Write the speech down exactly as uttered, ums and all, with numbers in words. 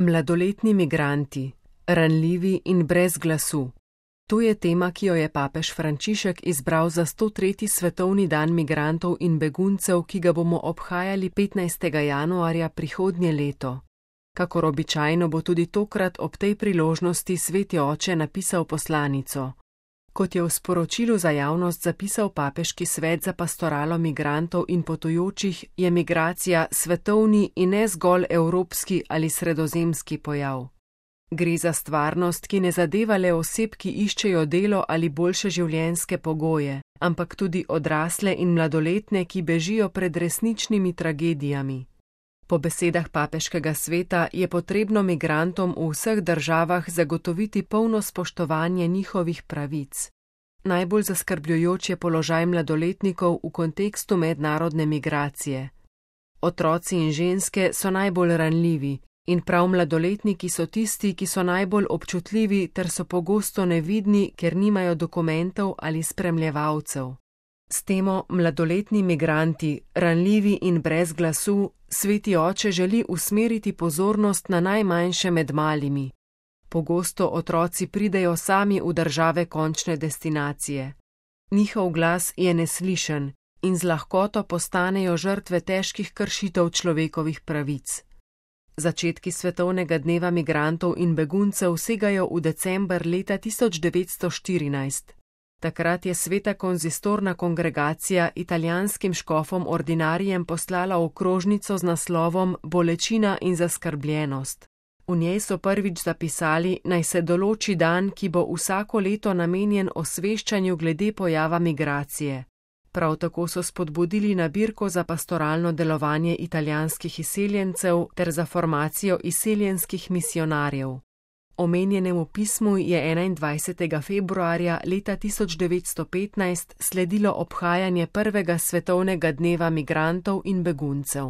Mladoletni migranti, ranljivi in brez glasu. To je tema, ki jo je papež Frančišek izbral za sto tretji svetovni dan migrantov in beguncev, ki ga bomo obhajali petnajstega januarja prihodnje leto. Kakor običajno bo tudi tokrat ob tej priložnosti Sveti oče napisal poslanico. Kot je v sporočilu za javnost zapisal papeški svet za pastoralo migrantov in potujočih, je migracija svetovni in ne zgolj evropski ali sredozemski pojav. Gre za stvarnost, ki ne zadeva le oseb, ki iščejo delo ali boljše življenjske pogoje, ampak tudi odrasle in mladoletne, ki bežijo pred resničnimi tragedijami. Po besedah papeškega sveta je potrebno migrantom v vseh državah zagotoviti polno spoštovanje njihovih pravic. Najbolj zaskrbljujoč je položaj mladoletnikov v kontekstu mednarodne migracije. Otroci in ženske so najbolj ranljivi in prav mladoletniki so tisti, ki so najbolj občutljivi ter so pogosto nevidni, ker nimajo dokumentov ali spremljevalcev. S temo mladoletni migranti, ranljivi in brez glasu, Sveti oče želi usmeriti pozornost na najmanjše med malimi. Pogosto otroci pridejo sami v države končne destinacije. Njihov glas je neslišen in z lahkoto postanejo žrtve težkih kršitev človekovih pravic. Začetki svetovnega dneva migrantov in beguncev segajo v december leta tisoč devetsto štirinajst. Takrat je Sveta konzistorna kongregacija italijanskim škofom ordinarijem poslala okrožnico z naslovom Bolečina in zaskrbljenost. V njej so prvič zapisali, naj se določi dan, ki bo vsako leto namenjen osveščanju glede pojava migracije. Prav tako so spodbudili nabirko za pastoralno delovanje italijanskih izseljencev ter za formacijo izseljenskih misionarjev. Omenjenemu pismu je enaindvajsetega februarja leta tisoč devetsto petnajst sledilo obhajanje prvega svetovnega dneva migrantov in beguncev.